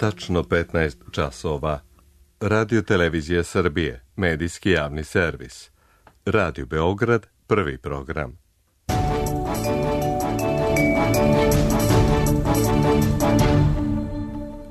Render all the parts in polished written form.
tačno 15 časova. Radio Televizija Srbije, medijski javni servis. Radio Beograd, prvi program.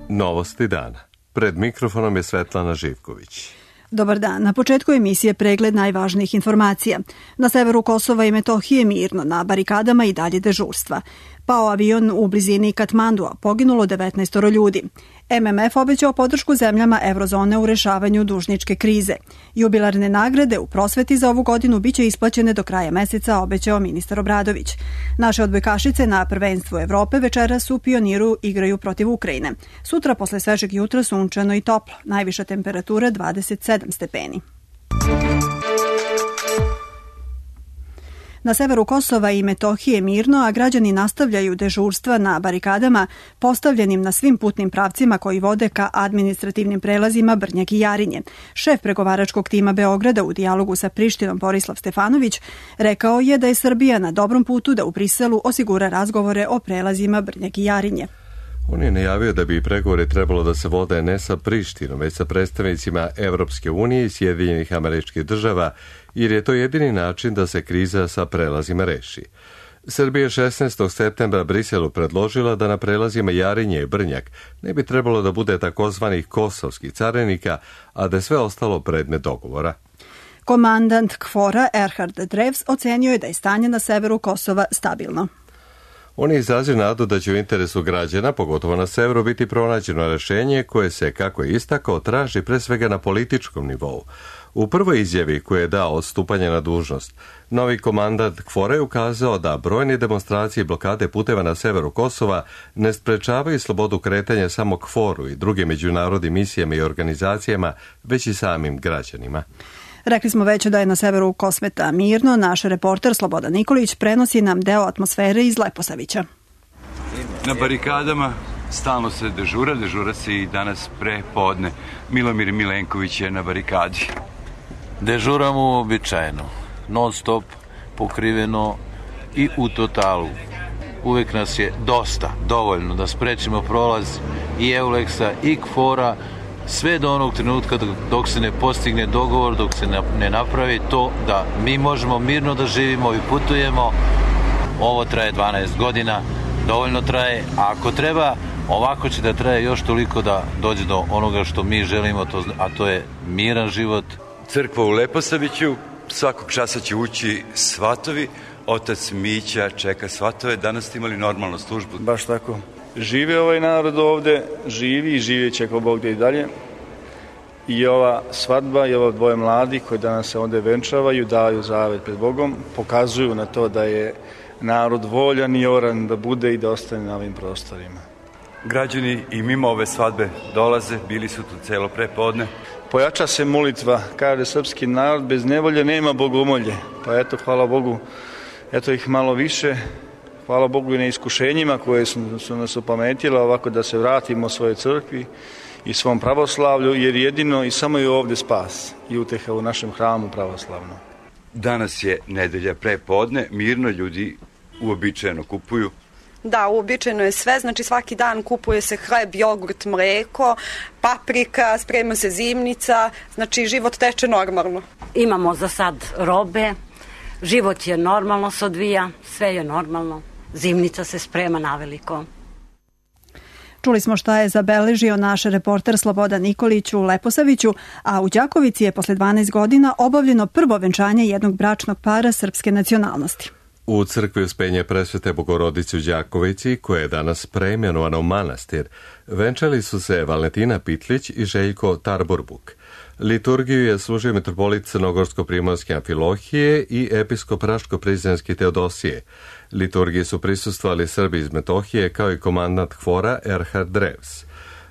Novosti dana. Pred mikrofonom je Svetlana Živković. Dobar dan. Na početku emisije pregled najvažnijih informacija. Na severu Kosova i Metohije mirno, na barikadama i dalje dežurstva. Pao avion u blizini Katmandua, poginulo 19 ljudi. MMF obećao podršku zemljama eurozone u rešavanju dužničke krize. Jubilarne nagrade u prosveti za ovu godinu biće isplaćene do kraja meseca, obećao ministar Obradović. Naše odbojkašice na prvenstvu Evrope večeras u Pioniru igraju protiv Ukrajine. Sutra posle svežeg jutra sunčano i toplo, najviša temperatura 27 stepeni. Na severu Kosova i Metohije mirno, a građani nastavljaju dežurstva na barikadama postavljenim na svim putnim pravcima koji vode ka administrativnim prelazima Brnjak i Jarinje. Šef pregovaračkog tima Beograda u dijalogu sa Prištinom Borislav Stefanović rekao je da je Srbija na dobrom putu da u Briselu osigura razgovore o prelazima Brnjak i Jarinje. On je najavio da bi pregovori trebalo da se vode ne sa Prištinom, već sa predstavnicima Evropske unije i Sjedinjenih Američkih Država, jer je to jedini način da se kriza sa prelazima reši. Srbija 16. septembra Briselu predložila da na prelazima Jarinje i Brnjak ne bi trebalo da bude takozvanih kosovskih carinika, a da je sve ostalo predmet dogovora. Komandant KFOR-a Erhard Drevs ocenio je da je stanje na severu Kosova stabilno. On je izrazio nadu da će u interesu građana, pogotovo na severu, biti pronađeno rešenje koje se, kako je istakao, traži pre svega na političkom nivou. U prvoj izjavi koju je dao od stupanja na dužnost, novi komandant KFOR-a je ukazao da brojne demonstracije i blokade puteva na severu Kosova ne sprečavaju slobodu kretanja samo KFOR-u i drugim međunarodnim misijama i organizacijama, već i samim građanima. Rekli smo već da je na severu Kosmeta mirno. Naš reporter Slobodan Nikolić prenosi nam deo atmosfere iz Leposavića. Na barikadama stalno se dežura se i danas pre podne. Milomir Milenković je na barikadi. Dežuramo uobičajeno, non stop, pokriveno i u totalu. Uvek nas je dovoljno da sprečimo prolaz i Euleksa i KFOR-a, sve do onog trenutka dok se ne postigne dogovor, dok se ne napravi to da mi možemo mirno da živimo i putujemo. Ovo traje 12 godina, dovoljno traje, a ako treba, ovako će da traje još toliko da dođe do onoga što mi želimo, a to je miran život. Crkva u Leposaviću, svakog časa će ući svatovi, otac Mića čeka svatove, danas ste imali normalnu službu. Baš tako. Žive ovaj narod ovde, živi i živjet će ako Bog da i dalje. I ova svadba i ovo dvoje mladi koji danas se ovde venčavaju, daju zavet pred Bogom, pokazuju na to da je narod voljan i oran da bude i da ostane na ovim prostorima. Građani i mimo ove svadbe dolaze, bili su tu celo prepodne. Pojača se molitva, kaže srpski narod, bez nevolje nema bogomolje. Pa eto, hvala Bogu, eto ih malo više. Hvala Bogu i na iskušenjima koje su nas opametile ovako da se vratimo svojoj crkvi i svom pravoslavlju, jer jedino i samo je ovde spas i uteha u našem hramu pravoslavnom. Danas je nedelja prepodne, mirno ljudi uobičajeno kupuju. Da, uobičajeno je sve, znači svaki dan kupuje se hleb, jogurt, mleko, paprika, sprema se zimnica, znači život teče normalno. Imamo za sad robe, život je normalno se odvija, sve je normalno. Zimnica se sprema naveliko. Čuli smo šta je zabeležio naš reporter Slobodan Nikolić u Leposaviću, a u Đakovici je posle 12 godina obavljeno prvo venčanje jednog bračnog para srpske nacionalnosti. U crkvi Uspenje Presvete Bogorodice u Đakovici, koja je danas preimenovana u manastir, venčali su se Valentina Pitlić i Željko Tarborbuk. Liturgiju je služio mitropolit Crnogorsko-primorske Amfilohije i episkop Raško-Prizrenski Teodosije. Liturgiji su prisustvovali Srbi iz Metohije kao i komandant KFOR-a Erhard Drevs.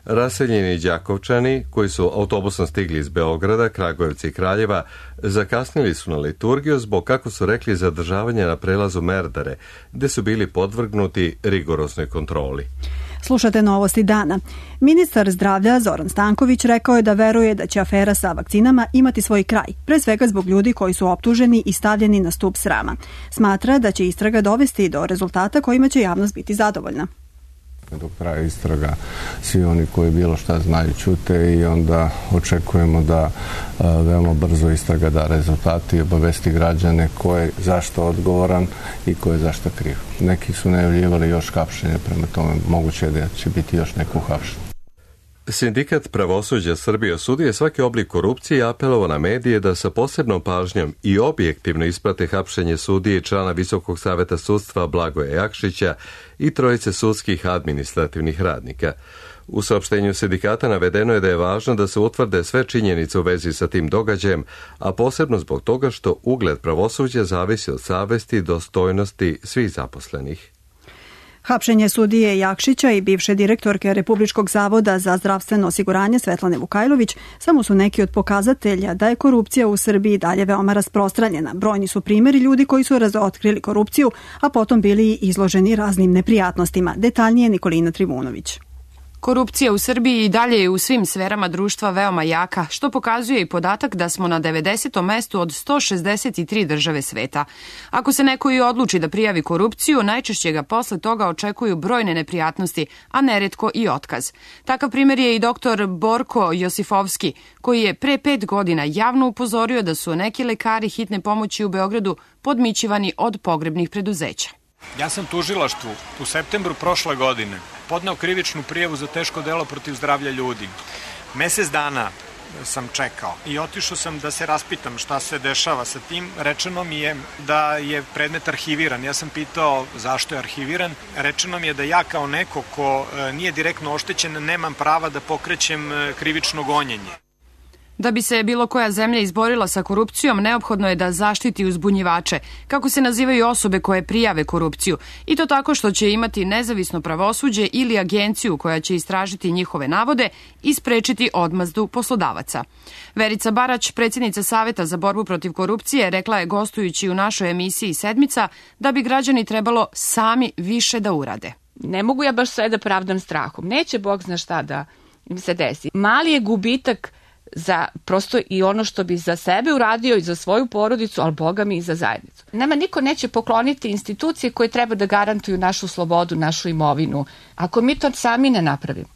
Raseljeni Đakovčani, koji su autobusom stigli iz Beograda, Kragujevca i Kraljeva, zakasnili su na liturgiju zbog, kako su rekli, zadržavanja na prelazu Merdare, gde su bili podvrgnuti rigoroznoj kontroli. Slušate novosti dana. Ministar zdravlja Zoran Stanković rekao je da veruje da će afera sa vakcinama imati svoj kraj, pre svega zbog ljudi koji su optuženi i stavljeni na stub srama. Smatra da će istraga dovesti do rezultata kojima će javnost biti zadovoljna. Dok traje istraga, svi oni koji bilo šta znaju ćute i onda očekujemo da veoma brzo istraga da rezultati i obavesti građane ko je zašto odgovoran i ko je zašto kriv. Neki su najavljivali još hapšenje, prema tome moguće je da će biti još neko hapšenje. Sindikat pravosuđa Srbije osudio svaki oblik korupcije i apelovao na medije da sa posebnom pažnjom i objektivno isprate hapšenje sudije i člana Visokog saveta sudstva Blagoja Jakšića i trojice sudskih administrativnih radnika. U saopštenju sindikata navedeno je da je važno da se utvrde sve činjenice u vezi sa tim događajem, a posebno zbog toga što ugled pravosuđa zavisi od savesti i dostojnosti svih zaposlenih. Hapšenje sudije Jakšića i bivše direktorke Republičkog zavoda za zdravstveno osiguranje Svetlane Vukajlović samo su neki od pokazatelja da je korupcija u Srbiji dalje veoma rasprostranjena. Brojni su primjeri ljudi koji su razotkrili korupciju, a potom bili izloženi raznim neprijatnostima. Detaljnije Nikolina Trivunović. Korupcija u Srbiji i dalje je u svim sferama društva veoma jaka, što pokazuje i podatak da smo na 90. mestu od 163 države sveta. Ako se neko i odluči da prijavi korupciju, najčešće ga posle toga očekuju brojne neprijatnosti, a neretko i otkaz. Takav primjer je i doktor Borko Josifovski, koji je pre 5 godina javno upozorio da su neki lekari hitne pomoći u Beogradu podmićivani od pogrebnih preduzeća. Ja sam tužilaštvu u septembru prošle godine podneo krivičnu prijavu za teško delo protiv zdravlja ljudi. Mesec dana sam čekao i otišao sam da se raspitam šta se dešava sa tim. Rečeno mi je da je predmet arhiviran. Ja sam pitao zašto je arhiviran. Rečeno mi je da ja kao neko ko nije direktno oštećen nemam prava da pokrećem krivično gonjenje. Da bi se bilo koja zemlja izborila sa korupcijom, neophodno je da zaštiti uzbunjivače, kako se nazivaju osobe koje prijave korupciju, i to tako što će imati nezavisno pravosuđe ili agenciju koja će istražiti njihove navode i sprečiti odmazdu poslodavaca. Verica Barać, predsjednica Saveta za borbu protiv korupcije, rekla je gostujući u našoj emisiji Sedmica da bi građani trebalo sami više da urade. Ne mogu ja baš sve da pravdam strahom. Neće Bog zna šta da im se desi. Mali je gubitak za prosto i ono što bi za sebe uradio i za svoju porodicu, ali Boga mi i za zajednicu. Nama niko neće pokloniti institucije koje treba da garantuju našu slobodu, našu imovinu, ako mi to sami ne napravimo.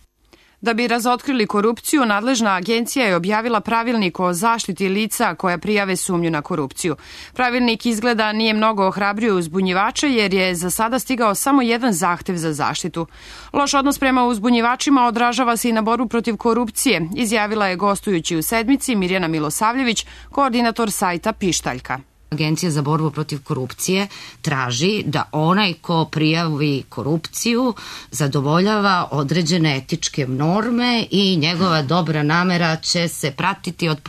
Da bi razotkrili korupciju, nadležna agencija je objavila pravilnik o zaštiti lica koja prijave sumnju na korupciju. Pravilnik izgleda nije mnogo ohrabrio uzbunjivače jer je za sada stigao samo jedan zahtev za zaštitu. Loš odnos prema uzbunjivačima odražava se i na borbu protiv korupcije, izjavila je gostujući u Sedmici Mirjana Milosavljević, koordinator sajta Pištaljka. Agencija za borbu protiv korupcije traži da onaj ko prijavi korupciju zadovoljava određene etičke norme i njegova dobra namera će se pratiti od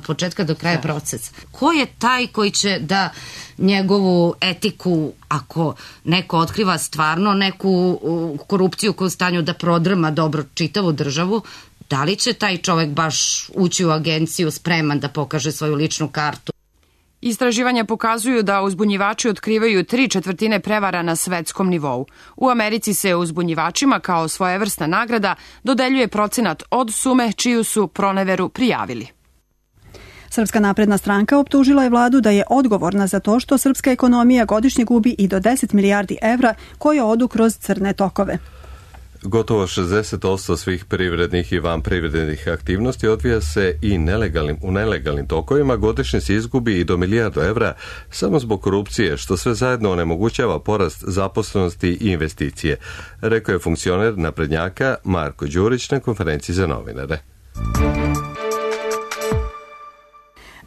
početka do kraja procesa. Ko je taj koji će da njegovu etiku, ako neko otkriva stvarno neku korupciju koju je u stanju da prodrma dobro čitavu državu, da li će taj čovek baš ući u agenciju spreman da pokaže svoju ličnu kartu? Istraživanja pokazuju da uzbunjivači otkrivaju 3/4 prevara na svetskom nivou. U Americi se uzbunjivačima kao svojevrsna nagrada dodeljuje procenat od sume čiju su proneveru prijavili. Srpska napredna stranka optužila je vladu da je odgovorna za to što srpska ekonomija godišnje gubi i do 10 milijardi evra koje odu kroz crne tokove. Gotovo 60% svih privrednih i vanprivrednih aktivnosti odvija se i u nelegalnim tokovima, godišnje se izgubi i do milijardu evra samo zbog korupcije, što sve zajedno onemogućava porast zaposlenosti i investicije, rekao je funkcioner naprednjaka Marko Đurić na konferenciji za novinare.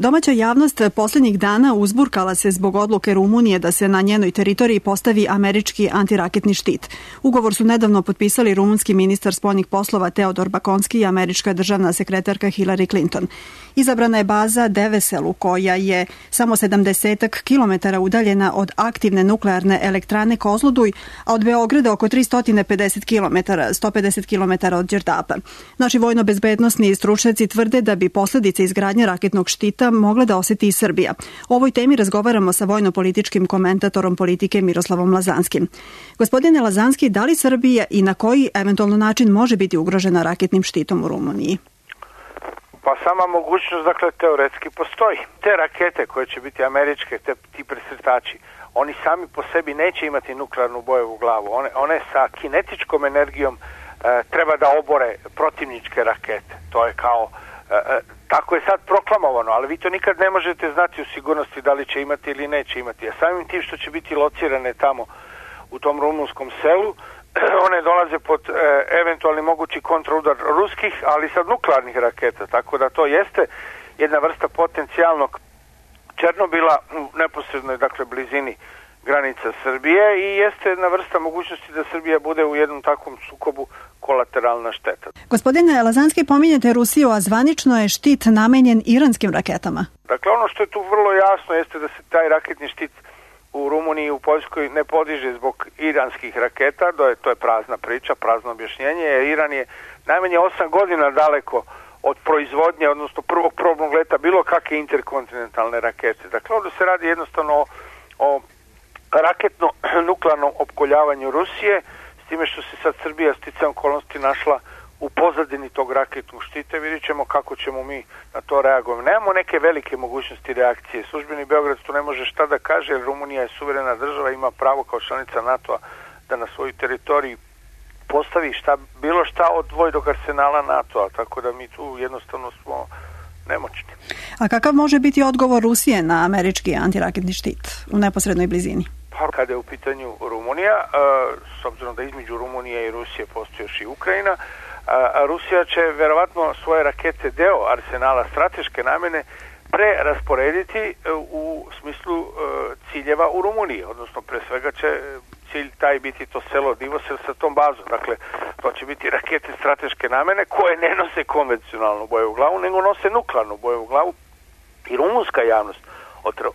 Domaća javnost posljednjih dana uzburkala se zbog odluke Rumunije da se na njenoj teritoriji postavi američki antiraketni štit. Ugovor su nedavno potpisali rumunski ministar spoljnih poslova Teodor Bakonski i američka državna sekretarka Hillary Clinton. Izabrana je baza Deveselu koja je samo 70 km udaljena od aktivne nuklearne elektrane Kozloduj, a od Beograda oko 350 km, 150 km od Đerdapa. Naši vojno-bezbednosni stručnjaci tvrde da bi posljedice izgradnje raketnog štita mogla da osjeti i Srbija. O ovoj temi razgovaramo sa vojno-političkim komentatorom politike Miroslavom Lazanskim. Gospodine Lazanski, da li Srbija i na koji eventualno način može biti ugrožena raketnim štitom u Rumuniji? Pa sama mogućnost, dakle, teoretski postoji. Te rakete koje će biti američke, ti presretači, oni sami po sebi neće imati nuklearnu bojevu glavu. One sa kinetičkom energijom treba da obore protivničke rakete. To je kao, tako je sad proklamovano, ali vi to nikad ne možete znati u sigurnosti da li će imati ili neće imati. A samim tim što će biti locirane tamo u tom rumunskom selu, one dolaze pod eventualni mogući kontraudar ruskih, ali sad nuklearnih raketa. Tako da to jeste jedna vrsta potencijalnog Černobila u neposrednoj, dakle, blizini granica Srbije i jeste jedna vrsta mogućnosti da Srbija bude u jednom takvom sukobu kolateralna šteta. Gospodine Lazanski, pominjete Rusiju, a zvanično je štit namenjen iranskim raketama. Dakle, ono što je tu vrlo jasno jeste da se taj raketni štit u Rumuniji i u Poljskoj ne podiže zbog iranskih raketa, to je prazna priča, prazno objašnjenje, jer Iran je najmanje 8 godina daleko od proizvodnje, odnosno prvog probnog leta bilo kakve interkontinentalne rakete. Dakle, ovdje se radi jednostavno o raketno-nuklearnom opkoljavanju Rusije, s time što se sad Srbija sticajem okolnosti našla u pozadini tog raketnog štita. Vidjet ćemo kako ćemo mi na to reagovati. Nemamo neke velike mogućnosti reakcije. Službeni Beograd tu ne može šta da kaže, jer Rumunija je suverena država, ima pravo kao članica NATO-a da na svoju teritoriji postavi bilo šta od vojnog arsenala NATO-a, tako da mi tu jednostavno smo nemoćni. A kakav može biti odgovor Rusije na američki antiraketni štit u neposrednoj blizini? Pa kada je u pitanju Rumunija, s obzirom da između Rumunije i Rusije postoji još i Ukrajina, Rusija će verovatno svoje rakete, deo arsenala strateške namene, prerasporediti u smislu ciljeva u Rumuniji, odnosno pre svega će cilj taj biti to selo Divosel sa tom bazom. Dakle, to će biti rakete strateške namene koje ne nose konvencionalnu bojevu glavu, nego nose nuklearnu bojevu glavu i rumunska javnost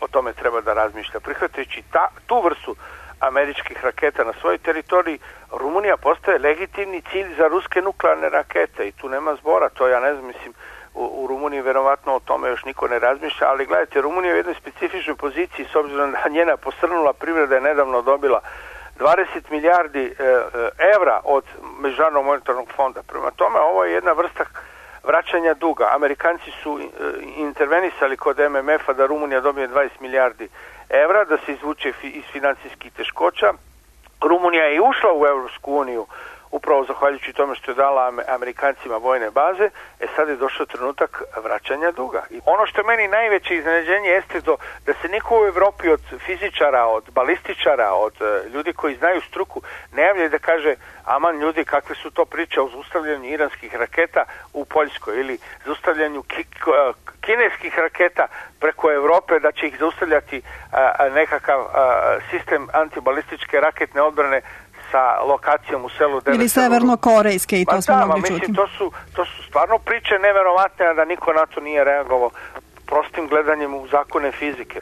o tome treba da razmišlja. Prihvatajući tu vrstu američkih raketa na svojoj teritoriji, Rumunija postaje legitimni cilj za ruske nuklearne rakete i tu nema zbora. To ja ne znam, mislim, u Rumuniji verovatno o tome još niko ne razmišlja, ali gledajte, Rumunija je u jednoj specifičnoj poziciji s obzirom da njena posrnula privreda je nedavno dobila 20 milijardi evra od Međunarodnog monetarnog fonda. Prema tome, ovo je jedna vrsta vraćanja duga. Amerikanci su intervenisali kod MMF-a da Rumunija dobije 20 milijardi evra, da se izvuče iz financijskih teškoća. Rumunija je ušla u Europsku uniju upravo zahvaljujući tome što je dala Amerikancima vojne baze, sad je došao trenutak vraćanja duga. I ono što je meni najveće iznenađenje jeste da se niko u Evropi od fizičara, od balističara, od ljudi koji znaju struku ne javlja da kaže, aman ljudi, kakve su to priče o zaustavljanju iranskih raketa u Poljskoj ili zaustavljanju kineskih raketa preko Evrope, da će ih zaustavljati nekakav sistem antibalističke raketne odbrane sa lokacijom u selu ili severno-korejske i to smo mogli čuti. Mislim, to su stvarno priče neverovatne, a da niko na to nije reagovao prostim gledanjem u zakone fizike.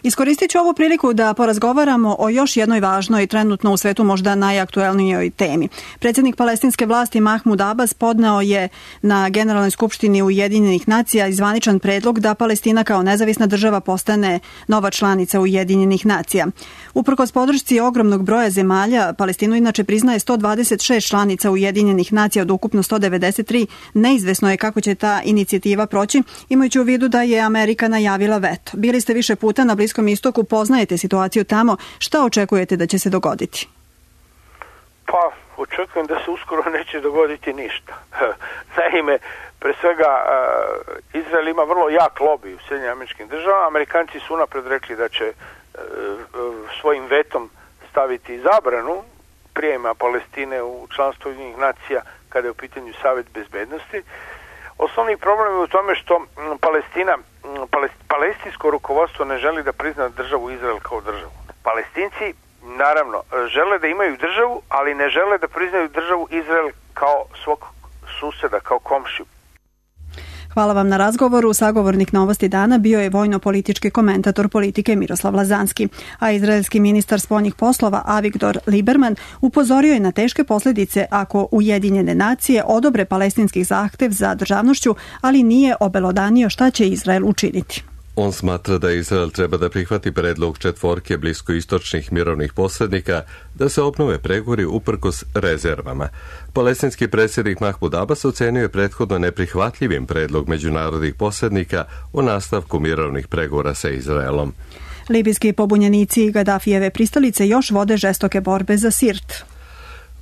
Iskoristit ću ovu priliku da porazgovaramo o još jednoj važnoj i trenutno u svetu možda najaktuelnijoj temi. Predsjednik palestinske vlasti Mahmud Abbas podneo je na Generalnoj skupštini Ujedinjenih nacija zvaničan predlog da Palestina kao nezavisna država postane nova članica Ujedinjenih nacija. Uprkos podršci ogromnog broja zemalja, Palestinu inače priznaje 126 članica Ujedinjenih nacija od ukupno 193. Neizvesno je kako će ta inicijativa proći, imajući u vidu da je Amerika najavila veto. Bili ste više puta na Bliskom istoku, poznajete situaciju tamo. Šta očekujete da će se dogoditi? Pa, očekujem da se uskoro neće dogoditi ništa. Naime, pre svega, Izrael ima vrlo jak lobby u Sjedinjenim Američkim Državama. Amerikanci su unapred rekli da će svojim vetom staviti zabranu prijema Palestine u članstvo Ujedinjenih nacija kada je u pitanju Savet bezbednosti. Osnovni problem je u tome što palestinsko rukovodstvo ne želi da prizna državu Izrael kao državu. Palestinci, naravno, žele da imaju državu, ali ne žele da priznaju državu Izrael kao svog suseda, kao komšiju. Hvala vam na razgovoru. Sagovornik Novosti dana bio je vojno-politički komentator politike Miroslav Lazanski, a izraelski ministar spoljnih poslova Avigdor Lieberman upozorio je na teške posljedice ako Ujedinjene nacije odobre palestinski zahtev za državnošću, ali nije obelodanio šta će Izrael učiniti. On smatra da Izrael treba da prihvati predlog 4 bliskoistočnih mirovnih posrednika da se obnove pregovori uprkos rezervama. Palestinski predsjednik Mahmud Abbas ocenio je prethodno neprihvatljivim predlog međunarodnih posrednika o nastavku mirovnih pregovora sa Izraelom. Libijski pobunjenici i Gadafijeve pristalice još vode žestoke borbe za Sirt.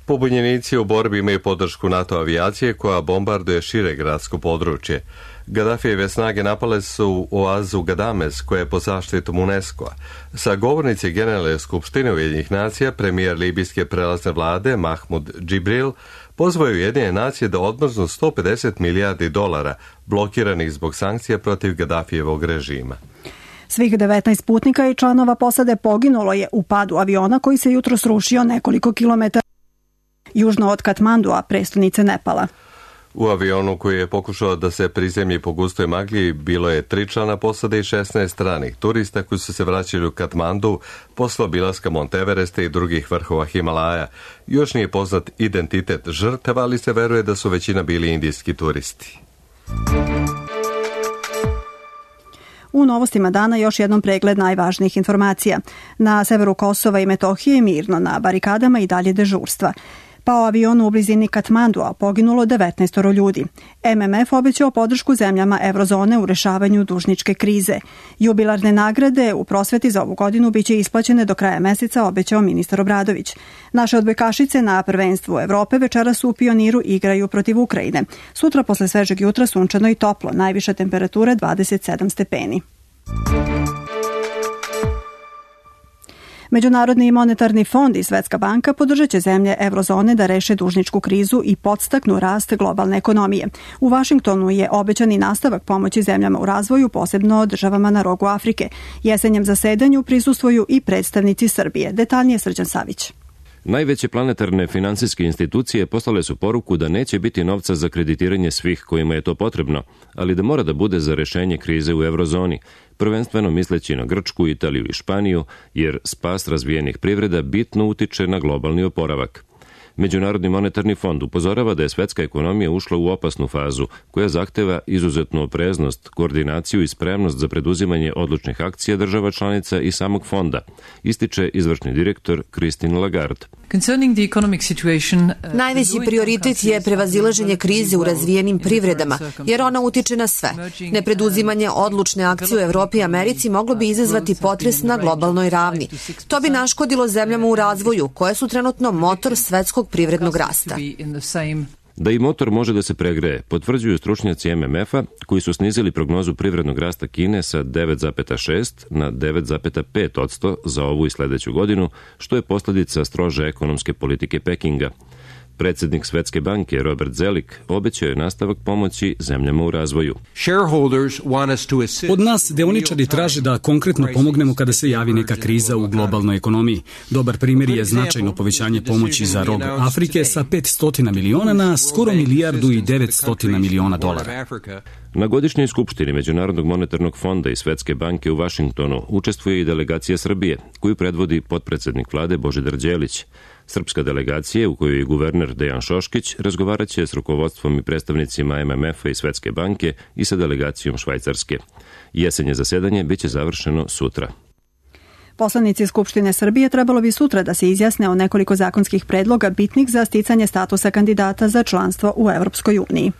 Pobunjenici u borbi imaju podršku NATO avijacije koja bombarduje šire gradsko područje. Gadafijeve snage napale su oazu Gadamez koja je pod zaštitom UNESCO-a. Sa govornici Generalne skupštine Ujedinjenih nacija premijer libijske prelazne vlade Mahmud Džibril pozvao je Ujedinjene nacije da odmrznu 150 milijardi dolara blokiranih zbog sankcija protiv Gadafijevog režima. Svih 19 putnika i članova posade poginulo je u padu aviona koji se jutro srušio nekoliko kilometara južno od Katmandua, prestonice Nepala. U avionu koji je pokušao da se prizemlji po gustoj magli bilo je 3 člana posade i 16 stranih turista koji su se vraćali u Katmandu posle obilaska Monteveresta i drugih vrhova Himalaja. Još nije poznat identitet žrtava, ali se veruje da su većina bili indijski turisti. U novostima dana još jednom pregled najvažnijih informacija. Na severu Kosova i Metohije mirno, na barikadama i dalje dežurstva. Pao avion u blizini Katmandua, poginulo 19 ljudi. MMF obećao podršku zemljama eurozone u rešavanju dužničke krize. Jubilarne nagrade u prosveti za ovu godinu biće isplaćene do kraja meseca, obećao ministar Obradović. Naše odbojkašice na prvenstvu Evrope večeras u Pioniru igraju protiv Ukrajine. Sutra posle svežeg jutra sunčano i toplo, najviša temperatura 27 stepeni. Međunarodni monetarni fond i Svetska banka podržat će zemlje eurozone da reše dužničku krizu i podstaknu rast globalne ekonomije. U Vašingtonu je obećani nastavak pomoći zemljama u razvoju, posebno državama na rogu Afrike. Jesenjem zasedanju prisustvuju i predstavnici Srbije. Detaljnije Srđan Savić. Najveće planetarne finansijske institucije poslale su poruku da neće biti novca za kreditiranje svih kojima je to potrebno, ali da mora da bude za rešenje krize u eurozoni, prvenstveno misleći na Grčku, Italiju i Španiju, jer spas razvijenih privreda bitno utiče na globalni oporavak. Međunarodni monetarni fond upozorava da je svetska ekonomija ušla u opasnu fazu, koja zahteva izuzetnu opreznost, koordinaciju i spremnost za preduzimanje odlučnih akcija država članica i samog fonda, ističe izvršni direktor Christine Lagarde. Najveći prioritet je prevazilaženje krize u razvijenim privredama, jer ona utiče na sve. Nepreduzimanje odlučne akcije u Evropi i Americi moglo bi izazvati potres na globalnoj ravni. To bi naškodilo zemljama u razvoju, koje su trenutno motor svetskog privrednog rasta. Da i motor može da se pregreje, potvrđuju stručnjaci MMF-a koji su snizili prognozu privrednog rasta Kine sa 9,6 na 9,5% za ovu i sledeću godinu, što je posledica strože ekonomske politike Pekinga. Predsednik Svetske banke Robert Zelik obećao je nastavak pomoći zemljama u razvoju. Od nas deoničari traže da konkretno pomognemo kada se javi neka kriza u globalnoj ekonomiji. Dobar primjer je značajno povećanje pomoći za rog Afrike sa 500 miliona na skoro milijardu i 900 miliona dolara. Na godišnjoj skupštini Međunarodnog monetarnog fonda i Svetske banke u Vašingtonu učestvuje i delegacija Srbije, koju predvodi potpredsednik vlade Božidar Đelić. Srpska delegacija, u kojoj je guverner Dejan Šoškić, razgovaraće s rukovodstvom i predstavnicima MMF-a i Svetske banke i sa delegacijom Švajcarske. Jesenje zasedanje biće završeno sutra. Poslanici Skupštine Srbije trebalo bi sutra da se izjasne o nekoliko zakonskih predloga bitnih za sticanje statusa kandidata za članstvo u Evropskoj uniji.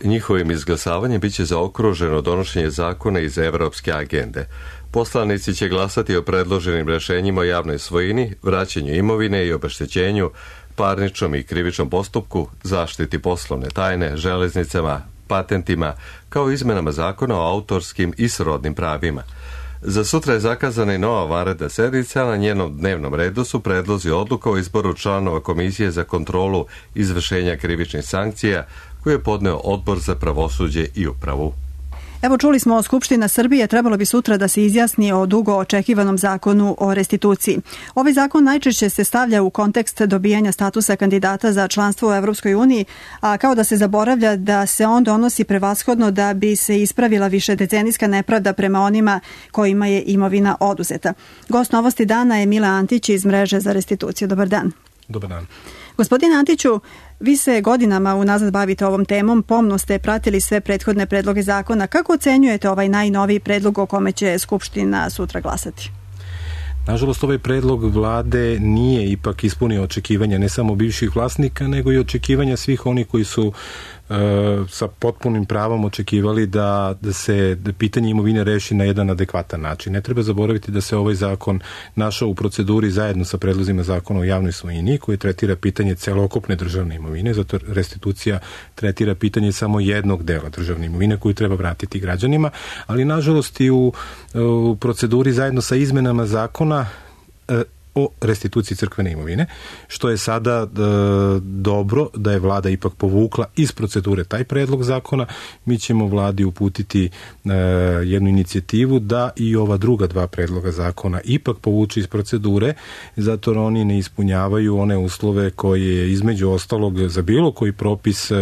Njihovim izglasavanjem biće zaokruženo donošenje zakona iz evropske agende. Poslanici će glasati o predloženim rešenjima o javnoj svojini, vraćanju imovine i obeštećenju, parničnom i krivičnom postupku, zaštiti poslovne tajne, železnicama, patentima, kao i izmenama zakona o autorskim i srodnim pravima. Za sutra je zakazana i nova vanredna sednica, na njenom dnevnom redu su predlozi odluka o izboru članova Komisije za kontrolu izvršenja krivičnih sankcija, koju je podneo Odbor za pravosuđe i upravu. Evo, čuli smo, Skupština Srbije trebalo bi sutra da se izjasni o dugo očekivanom zakonu o restituciji. Ovaj zakon najčešće se stavlja u kontekst dobijanja statusa kandidata za članstvo u Evropskoj uniji, a kao da se zaboravlja da se on donosi prevashodno da bi se ispravila višedecenijska nepravda prema onima kojima je imovina oduzeta. Gost Novosti dana je Mile Antić iz Mreže za restituciju. Dobar dan. Dobar dan. Gospodine Antiću, vi se godinama unazad bavite ovom temom, pomno ste pratili sve prethodne predloge zakona. Kako ocenjujete ovaj najnoviji predlog o kome će Skupština sutra glasati? Nažalost, ovaj predlog vlade nije ipak ispunio očekivanja ne samo bivših vlasnika, nego i očekivanja svih onih koji su sa potpunim pravom očekivali da se pitanje imovine reši na jedan adekvatan način. Ne treba zaboraviti da se ovaj zakon našao u proceduri zajedno sa predlozima zakona o javnoj svojini koji tretira pitanje celokupne državne imovine, zato restitucija tretira pitanje samo jednog dela državne imovine koju treba vratiti građanima, ali nažalost i u proceduri zajedno sa izmenama zakona o restituciji crkvene imovine, što je sada dobro da je vlada ipak povukla iz procedure taj predlog zakona. Mi ćemo vladi uputiti jednu inicijativu da i ova druga dva predloga zakona ipak povuče iz procedure, zato jer oni ne ispunjavaju one uslove koje između ostalog za bilo koji propis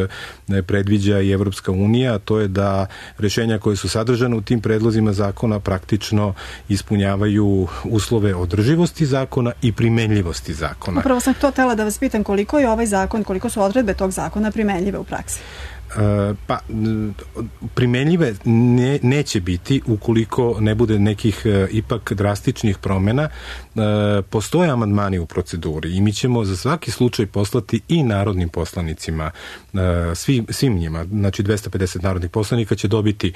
predviđa i Evropska unija, a to je da rešenja koje su sadržane u tim predlozima zakona praktično ispunjavaju uslove održivosti zakona i primenljivosti zakona. Upravo sam to htela da vas pitam koliko je ovaj zakon, koliko su odredbe tog zakona primenljive u praksi? Pa primenljive neće biti ukoliko ne bude nekih ipak drastičnih promena. Postoje amandmani u proceduri i mi ćemo za svaki slučaj poslati i narodnim poslanicima, svim njima, znači 250 narodnih poslanika će dobiti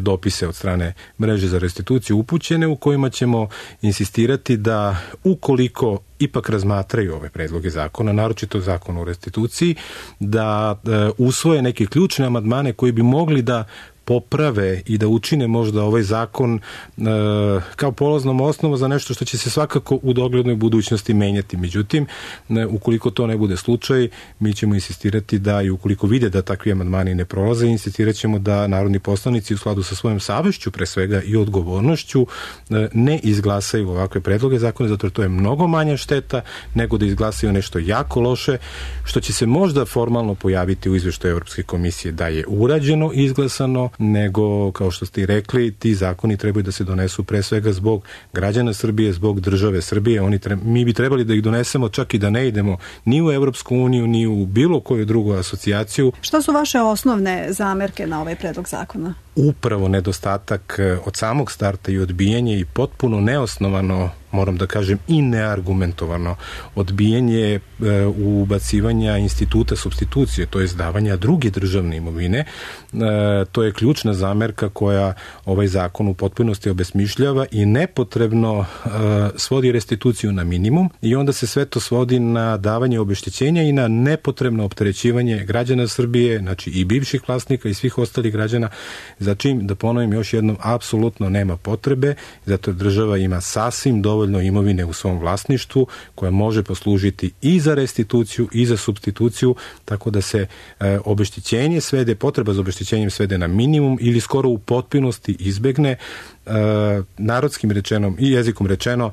dopise od strane mreže za restituciju upućene u kojima ćemo insistirati da ukoliko ipak razmatraju ove predloge zakona, naročito zakon o restituciji, da usvoje neke ključne amandmane koji bi mogli da poprave i da učine možda ovaj zakon kao polaznom osnovu za nešto što će se svakako u doglednoj budućnosti menjati. Međutim, ukoliko to ne bude slučaj, mi ćemo insistirati da i ukoliko vide da takvi amandmani ne prolaze, insistirat ćemo da narodni poslanici u skladu sa svojom savešću, pre svega i odgovornošću, ne izglasaju ovakve predloge zakona, zato jer to je mnogo manja šteta nego da izglasaju nešto jako loše, što će se možda formalno pojaviti u izveštaju Evropske komisije da je urađeno i izglasano, nego, kao što ste i rekli, ti zakoni trebaju da se donesu pre svega zbog građana Srbije, zbog države Srbije. Mi bi trebali da ih donesemo čak i da ne idemo ni u Evropsku uniju, ni u bilo koju drugu asocijaciju. Šta su vaše osnovne zamerke na ovaj predlog zakona? Upravo nedostatak od samog starta i odbijanje i potpuno neosnovano, moram da kažem i neargumentovano odbijanje ubacivanja instituta supstitucije, to je davanja druge državne imovine. To je ključna zamerka koja ovaj zakon u potpunosti obesmišljava i nepotrebno svodi restituciju na minimum i onda se sve to svodi na davanje obeštećenja i na nepotrebno opterećivanje građana Srbije, znači i bivših vlasnika i svih ostalih građana, za čim, da ponovim još jednom, apsolutno nema potrebe, zato jer država ima sasvim dovoljno imovine u svom vlasništvu koja može poslužiti i za restituciju i za supstituciju, tako da se obeštećenje svede, potreba za obeštećenjem svede na minimum ili skoro u potpunosti izbegne. Narodskim rečenom i jezikom rečeno,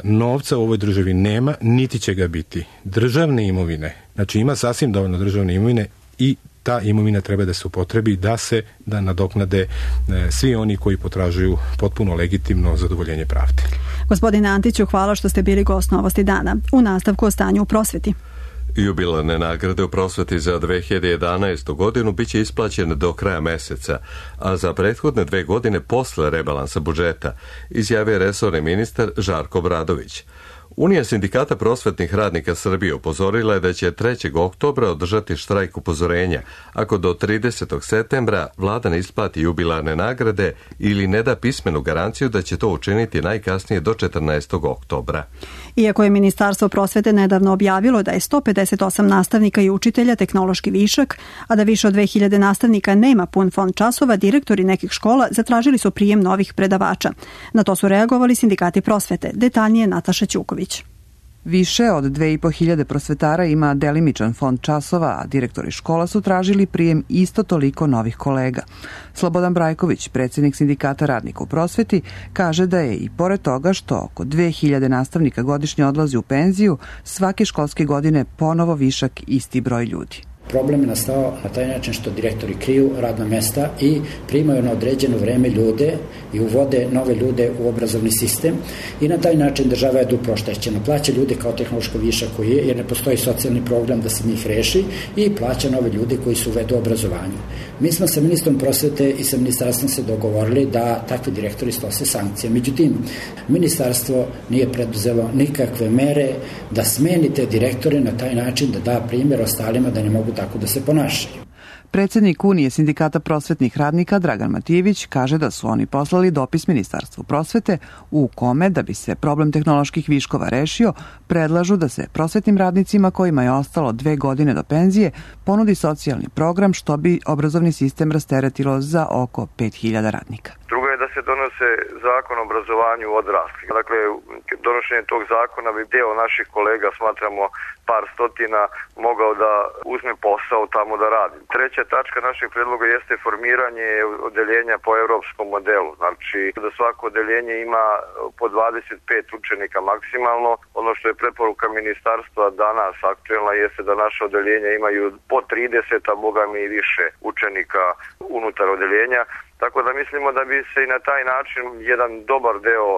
novca u ovoj državi nema, niti će ga biti. Državne imovine, znači ima sasvim dovoljno državne imovine i ta imovina treba da se upotrebi da nadoknade svi oni koji potražuju potpuno legitimno zadovoljenje pravde. Gospodine Antiću, hvala što ste bili gost Novosti dana. U nastavku o stanju u prosveti. Jubilarne nagrade u prosveti za 2011. godinu biće isplaćene do kraja meseca, a za prethodne 2 godine posle rebalansa budžeta, izjavio resorni ministar Žarko Obradović. Unija sindikata prosvetnih radnika Srbije upozorila je da će 3. oktobra održati štrajk upozorenja ako do 30. septembra vlada ne isplati jubilarne nagrade ili ne da pismenu garanciju da će to učiniti najkasnije do 14. oktobra. Iako je Ministarstvo prosvete nedavno objavilo da je 158 nastavnika i učitelja tehnološki višak, a da više od 2000 nastavnika nema pun fond časova, direktori nekih škola zatražili su prijem novih predavača. Na to su reagovali sindikati prosvete. Detaljnije Nataša Ćuković. Više od 2500 prosvetara ima delimičan fond časova, a direktori škola su tražili prijem isto toliko novih kolega. Slobodan Brajković, predsjednik sindikata radnika u prosveti, kaže da je i pored toga što oko 2000 nastavnika godišnje odlazi u penziju, svake školske godine ponovo višak isti broj ljudi. Problem je nastao na taj način što direktori kriju radna mesta i primaju na određeno vreme ljude i uvode nove ljude u obrazovni sistem i na taj način država je duplo oštećena. Plaća ljude kao tehnološko višak koji je, jer ne postoji socijalni program da se njih reši, i plaća nove ljude koji su uvedu u obrazovanju. Mi smo sa ministrom prosvete i sa ministarstvom se dogovorili da takvi direktori snose sankcije. Međutim, ministarstvo nije preduzelo nikakve mere da smeni te direktore na taj način da da primjer ostalima da ne mogu tako da se ponašaju. Predsednik Unije sindikata prosvetnih radnika Dragan Matijević kaže da su oni poslali dopis Ministarstvu prosvete u kome, da bi se problem tehnoloških viškova rešio, predlažu da se prosvetnim radnicima kojima je ostalo 2 godine do penzije ponudi socijalni program, što bi obrazovni sistem rasteretilo za oko 5000 radnika. Drugo je da se donose zakon o obrazovanju odraslih. Dakle, donošenje tog zakona bi deo naših kolega, smatramo par stotina, mogao da uzme posao tamo da radi. Treća tačka našeg predloga jeste formiranje odeljenja po evropskom modelu. Znači, da svako odeljenje ima po 25 učenika maksimalno. Ono što je preporuka ministarstva danas aktuelna jeste da naše odeljenja imaju po 30, a boga mi i više učenika unutar odeljenja. Tako da mislimo da bi se i na taj način jedan dobar deo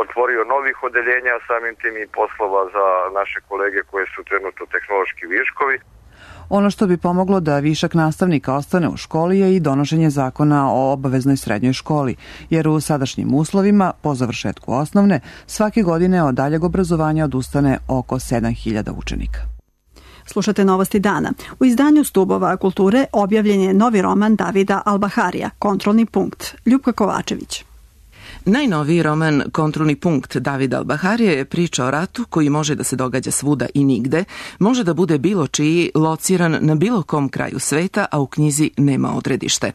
otvorio novih odeljenja, samim tim i poslova za naše kolege koje su trenutno tehnološki viškovi. Ono što bi pomoglo da višak nastavnika ostane u školi je i donošenje zakona o obaveznoj srednjoj školi, jer u sadašnjim uslovima, po završetku osnovne, svake godine od daljeg obrazovanja odustane oko 7000 učenika. Slušate Novosti dana. U izdanju Stubova kulture objavljen je novi roman Davida Albaharija, Kontrolni punkt. Ljupka Kovačević. Najnoviji roman Kontrolni punkt Davida Albaharija je priča o ratu koji može da se događa svuda i nigde, može da bude bilo čiji, lociran na bilo kom kraju sveta, a u knjizi nema odredište.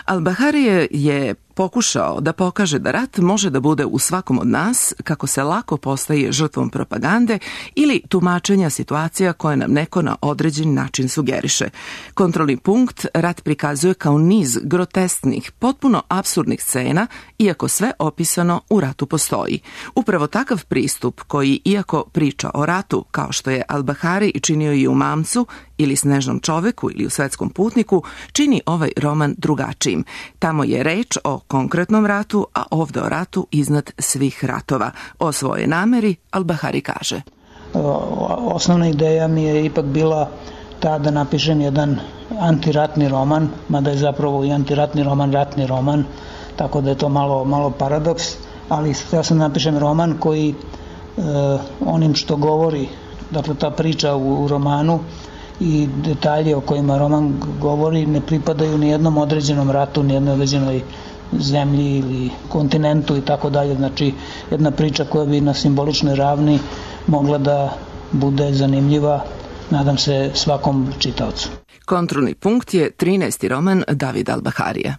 Albaharija je pokušao da pokaže da rat može da bude u svakom od nas, kako se lako postaje žrtvom propagande ili tumačenja situacija koje nam neko na određen način sugeriše. Kontrolni punkt rat prikazuje kao niz grotesknih, potpuno apsurdnih scena, iako sve opisano u ratu postoji. Upravo takav pristup koji, iako priča o ratu, kao što je Albahari činio i u Mamcu, ili Snežnom čoveku ili u Svetskom putniku, čini ovaj roman drugačijim. Tamo je reč o konkretnom ratu, a ovde o ratu iznad svih ratova. O svojoj nameri Albahari kaže: Osnovna ideja mi je ipak bila ta da napišem jedan antiratni roman, mada je zapravo i antiratni roman, tako da je to malo paradoks, ali ja sam napišem roman koji onim što govori, dakle ta priča u romanu i detalje o kojima roman govori ne pripadaju ni jednom određenom ratu, ni jednoj određenoj zemlji ili kontinentu i tako dalje. Znači, jedna priča koja bi na simboličnoj ravni mogla da bude zanimljiva, nadam se, svakom čitaocu. Kontrolni punkt je 13. roman Davida Albaharija.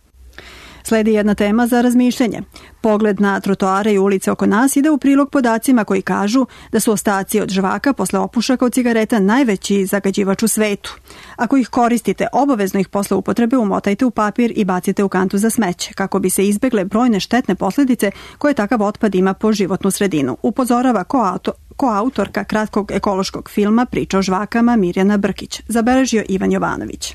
Sledi jedna tema za razmišljanje. Pogled na trotoare i ulice oko nas ide u prilog podacima koji kažu da su ostaci od žvaka posle opušaka od cigareta najveći zagađivač u svetu. Ako ih koristite, obavezno ih posle upotrebe umotajte u papir i bacite u kantu za smeće, kako bi se izbegle brojne štetne posledice koje takav otpad ima po životnu sredinu. Upozorava koautorka kratkog ekološkog filma Priča o žvakama Mirjana Brkić. Zabeležio Ivan Jovanović.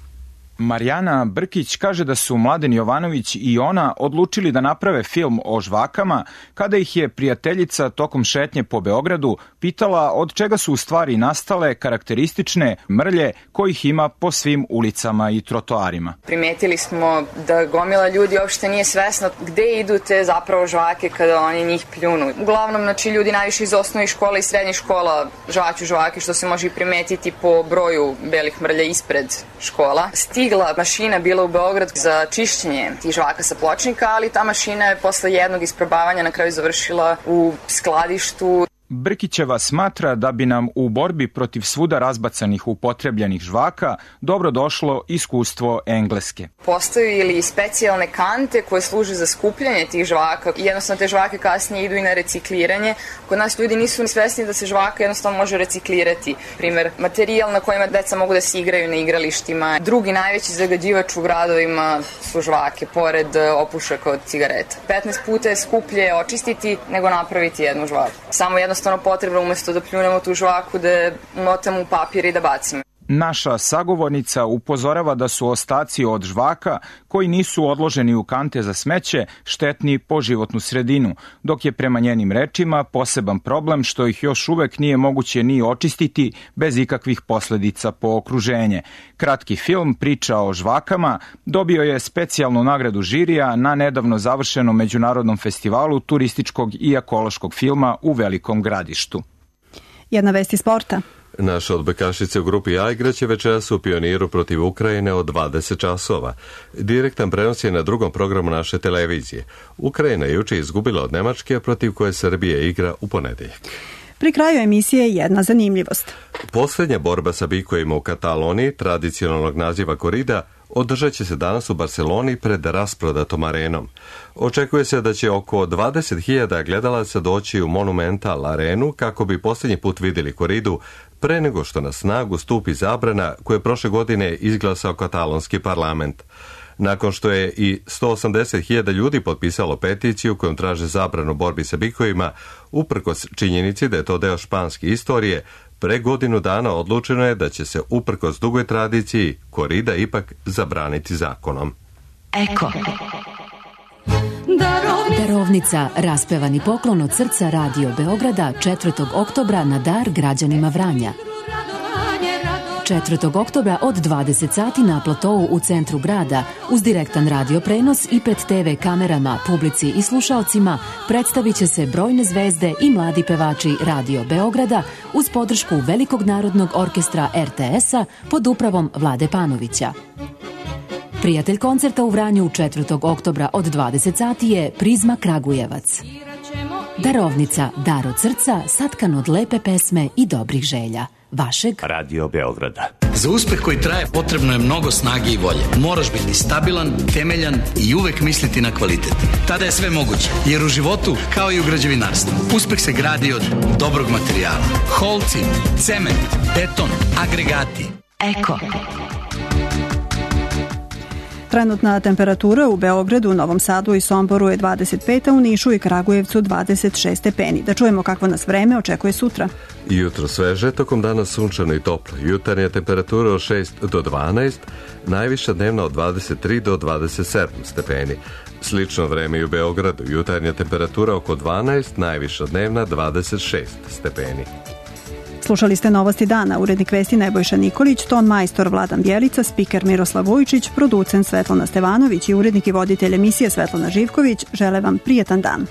Marijana Brkić kaže da su Mladen Jovanović i ona odlučili da naprave film o žvakama kada ih je prijateljica tokom šetnje po Beogradu pitala od čega su u stvari nastale karakteristične mrlje kojih ima po svim ulicama i trotoarima. Primetili smo da gomila ljudi uopšte nije svesna gde idu te zapravo žvake kada oni njih pljunu. Uglavnom, znači, ljudi najviše iz osnovnih škola i srednjih škola žvaću žvake, što se može i primetiti po broju belih mrlja ispred škola. Stigla mašina bila u Beograd za čišćenje tih žvaka sa pločnika, ali ta mašina je posle jednog isprobavanja na kraju završila u skladištu. Brkićeva smatra da bi nam u borbi protiv svuda razbacanih upotrebljenih žvaka dobro došlo iskustvo Engleske. Postoje ili specijalne kante koje služe za skupljanje tih žvaka. Jednostavno te žvake kasnije idu i na recikliranje. Kod nas ljudi nisu ni svesni da se žvaka jednostavno može reciklirati. Primer, materijal na kojima deca mogu da se igraju na igralištima. Drugi najveći zagađivač u gradovima su žvake, pored opušaka od cigareta. 15 puta je skuplje očistiti nego napraviti jednu žvaku. Samo jednostavno potrebno umesto da pljunemo tu žvaku da motamo u papir i da bacimo. Naša sagovornica upozorava da su ostaci od žvaka koji nisu odloženi u kante za smeće štetni po životnu sredinu, dok je prema njenim rečima poseban problem što ih još uvek nije moguće ni očistiti bez ikakvih posledica po okruženje. Kratki film Priča o žvakama dobio je specijalnu nagradu žirija na nedavno završenom međunarodnom festivalu turističkog i ekološkog filma u Velikom Gradištu. Jedna vest iz sporta. Naše odbojkašice u grupi A igraće večeras u Pioniru protiv Ukrajine od 20 časova. Direktan prenos je na drugom programu naše televizije. Ukrajina je juče izgubila od Nemačke, protiv koje Srbija igra u ponedeljak. Pri kraju emisije jedna zanimljivost. Posljednja borba sa bikovima u Kataloniji, tradicionalnog naziva korida, održat će se danas u Barceloni pred rasprodatom arenom. Očekuje se da će oko 20.000 gledalaca doći u Monumental arenu kako bi posljednji put vidjeli koridu pre nego što na snagu stupi zabrana koju je prošle godine izglasao katalonski parlament. Nakon što je i 180.000 ljudi potpisalo peticiju kojom traže zabranu borbi sa bikovima, uprkos činjenici da je to deo španske istorije, pre godinu dana odlučeno je da će se uprkos dugoj tradiciji korida ipak zabraniti zakonom. Eko. Darovnica, raspevani poklon od srca Radio Beograda 4. oktobra na dar građanima Vranja. 4. oktobra od 20 sati na platovu u centru grada uz direktan radio prenos i pred TV kamerama, publici i slušalcima predstavit će se brojne zvezde i mladi pevači Radio Beograda uz podršku Velikog narodnog orkestra RTS-a pod upravom Vlade Panovića. Prijatelj koncerta u Vranju 4. oktobra od 20 sati je Prizma Kragujevac. Darovnica, dar od srca, satkan od lepe pesme i dobrih želja. Vašeg Radio Beograda. Za uspeh koji traje potrebno je mnogo snage i volje. Moraš biti stabilan, temeljan i uvek misliti na kvalitet. Tada je sve moguće, jer u životu, kao i u građevinarstvu, uspeh se gradi od dobrog materijala. Holci, cement, beton, agregati. Eko. Trenutna temperatura u Beogradu, Novom Sadu i Somboru je 25, a u Nišu i Kragujevcu 26 stepeni. Da čujemo kakvo nas vreme očekuje sutra. Jutro sveže, tokom dana sunčano i toplo. Jutarnja temperatura od 6 do 12, najviša dnevna od 23 do 27 stepeni. Slično vreme i u Beogradu. Jutarnja temperatura oko 12, najviša dnevna 26 stepeni. Slušali ste Novosti dana, urednik vesti Nebojša Nikolić, ton majstor Vladan Bjelica, spiker Miroslav Vujčić, producent Svetlana Stevanović i urednik i voditelj emisije Svetlana Živković. Žele vam prijetan dan.